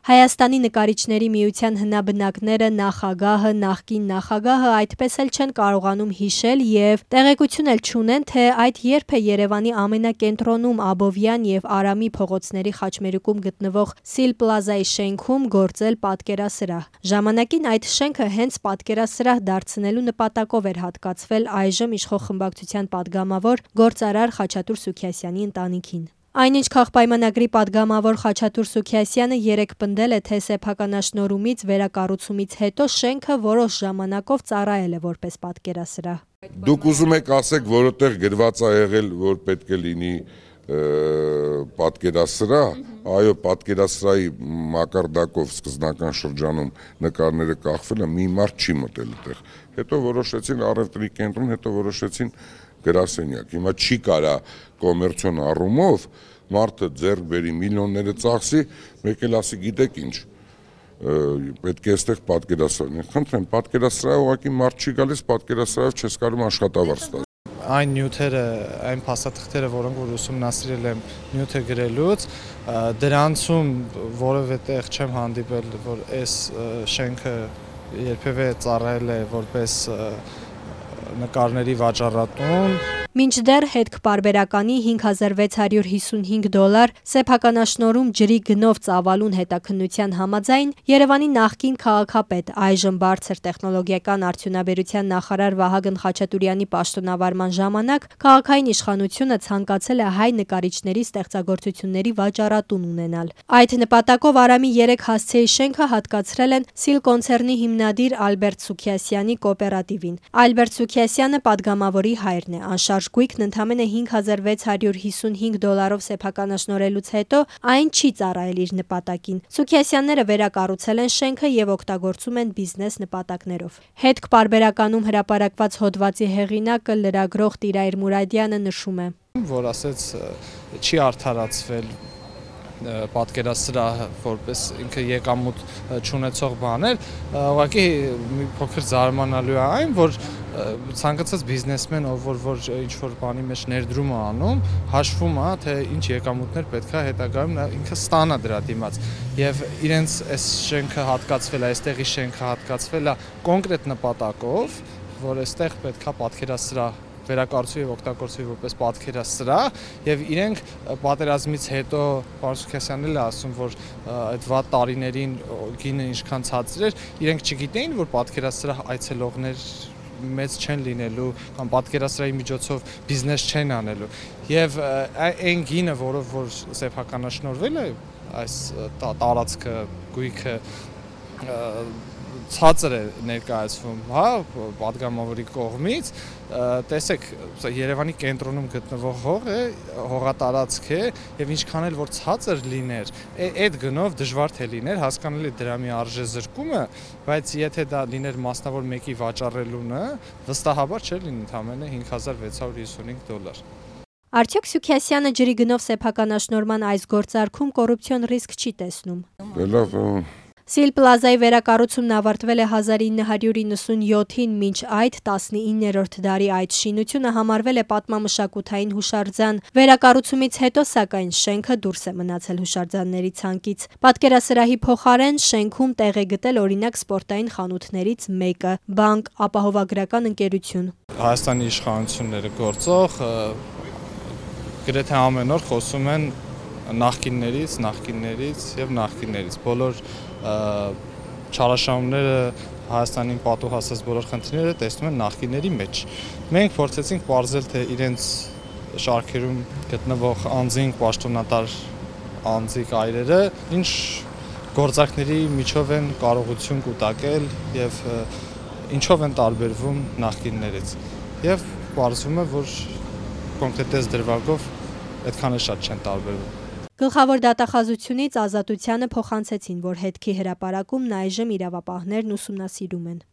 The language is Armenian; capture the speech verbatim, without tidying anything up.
Հայաստանի նկարիչների միության հնաբնակները, նախագահը, նախկին նախագահը այդպես էլ չեն կարողանում հիշել և տեղեկություն էլ չունեն, թե այդ երբ է Երևանի ամենակենտրոնում Աբովյան և Արամի փողոցների խաչմերուկում գտնվող Սիլ Պլազայի շենքում գործել պատկերասրահ։ Ժամանակին այդ շենքը հենց պատկերասրահ դարձնելու նպատակով էր հատկացվել այժմ իշխող խմբակցության պատգամավոր գործարար Խաչատուր Սուքիասյանի ընտանիքին։ Այնինչ քաղբայմանագրի պատգամավոր Խաչատուր Սուքիասյանը երեկ պնդել է, թե սեփականաշնորհումից վերակառուցումից հետո շենքը որոշ ժամանակով ծառայել է որպես պատկերասրահ։ Դուք ուզում եք ասեք, որտեղ գրված է եղել, որ պետք է լինի պատկերասրահ, այո, պատկերասրահի մակարդակով սկզբնական շրջանում նկարները կախվել են, մի մարդ չի մտել այդտեղ։ Հետո որոշեցին առևտրի կենտրոն, հետո որոշեցին գրասենյակ։ Հիմա չի կարա կոմերցիոն առումով մարդը ձեռք բերի, միլիոնները ծախսի, մեկ էլ ասի, գիտեք ինչ, պետք է այստեղ պատկերասրահ։ Խնդրեմ, պատկերասրահ ուղղակի մարդ չի գալիս, պատկերասրահով չես կարող աշխատավարձ տալ։ Այն նյութերը, այն փաստաթղթերը, որոնք որ ուսումնասիրել եմ նյութը գրելուց, դրանցում որևէ տեղ չեմ հանդիպել, որ այս շենքը երբևէ ծառայել է որպես նկարների վաճառատուն։ Մինչդեռ հետքպարբերականի հինգ հազար վեց հարյուր հիսունհինգ դոլար սեփականաշնորհում ջրի գնով ծավալուն հետաքննության համաձայն Երևանի նախկին քաղաքապետ, այժմ բարձր տեխնոլոգիական արդյունաբերության նախարար Վահագն Խաչատուրյանի պաշտոնավարման ժամանակ քաղաքային իշխանությունը ցանկացել է հայ նկարիչների ստեղծագործությունների վաճառատուն ունենալ։ Այդ նպատակով Արամի երեք հասցեի շենքը հատկացրել են Սիլ կոնցեռնի հիմնադիր Ալբերտ Սուքիասյանի կոոպերատիվին։ Ալբերտ Սուքիասյանը պատգամավորի հայրն է։ Անշարժ գույքն ընդամենը հինգ հազար վեց հարյուր հիսունհինգ դոլարով սեփականաշնորհելուց հետո այն չի ծառայել իր նպատակին։ Սուքիասյանները վերակառուցել են շենքը և օգտագործում են բիզնես նպատակներով։ Հետքպարբերականում հրապարակված հոդվածի հեղինակը լրագրող Տիրայր Մուրադյանը նշում է, որ ասեց չի արդարացվել պատկերասրահը, որպես ինքը եկամուտ չունեցող բան էր, ուղղակի մի փոքր զարմանալու է այն, որ ցանկացած բիզնեսմեն, ով որ որ ինչ-որ բանի մեջ ներդրում է անում, հաշվում է, թե ինչ եկամուտներ պետք է հետագայում նա ինքը ստանա դրա դիմաց։ Եվ իրենց այս շենքը հատկացվել է, այստեղի շենքը հատկացվել է կոնկրետ նպատակով, որ այստեղ պետք է պատկերասրահ վերակառուցվի և օգտագործվի որպես պատկերասրահ, եւ իրենք պատերազմից հետո պարոն Սուքիասյանն էլ է ասում, որ այդ վատ տարիներին գինը ինչքան ցածր էր, իրենք չգիտեին, որ պատկերասրահ այցելողներ մեծ չեն լինելու կամ պատկերասրահի միջոցով բիզնես չեն անելու։ Եվ այն գինը, որով որ սեփականաշնորհվել է այս տարածքը, գույքը ցածր է ներկայացվում, հա, պատգամավորի կողմից, տեսեք, Երևանի կենտրոնում գտնվող հող է, հողատարածք է, եւ ինչքան էլ որ ցածր լիներ, այդ գնով դժվար թե լիներ, հասկանալի դրա մի արժեզրկումը, բայց եթե դա լիներ մասնավոր մեկի վաճառելունը, վստահաբար չէր լինի ընդամենը հինգ հազար վեց հարյուր հիսունհինգ դոլար։ Արդյոք Սուքիասյանը ջրի գնով սեփականաշնորհման այս գործարքում կոռուպցիոն ռիսկ չի տեսնում։ Սիլ Պլազայի վերակառուցումն ավարտվել է հազար ինը հարյուր իննսունյոթին, մինչ այդ տասնիններորդ դարի այդ շինությունը համարվել է պատմամշակութային հուշարձան։ Վերակառուցումից հետո, սակայն, շենքը դուրս է մնացել հուշարձանների ցանկից։ Պատկերասրահի փոխարեն շենքում տեղ է գտել օրինակ սպորտային խանութներից մեկը՝ բանկ, ապահովագրական ընկերություն։ Հայաստանի իշխանությունները գործող գրեթե ամեն օր խոսում են նախկիններից, նախկիններից եւ նախկիններից։ Բոլոր չարաշահումները Հայաստանին պատուհասած բոլոր խնդիրները տեսնում են նախկինների մեջ։ Մենք փորձեցինք պարզել, թե իրենց շարքերում գտնվող անձինք, պաշտոնատար անձիկ այրերը ինչ գործարքների միջով են կարողություն կուտակել եւ ինչով են տարբերվում նախկիններից։ Եվ պարզվում է, որ կոնկրետ դրվագով այդքան էլ շատ չեն տարբերվում։ Գլխավոր դատախազությունից Ազատությանը փոխանցեցին, որ հետքի հրապարակումն այժմ իրավապահներն ուսումնասիրում են։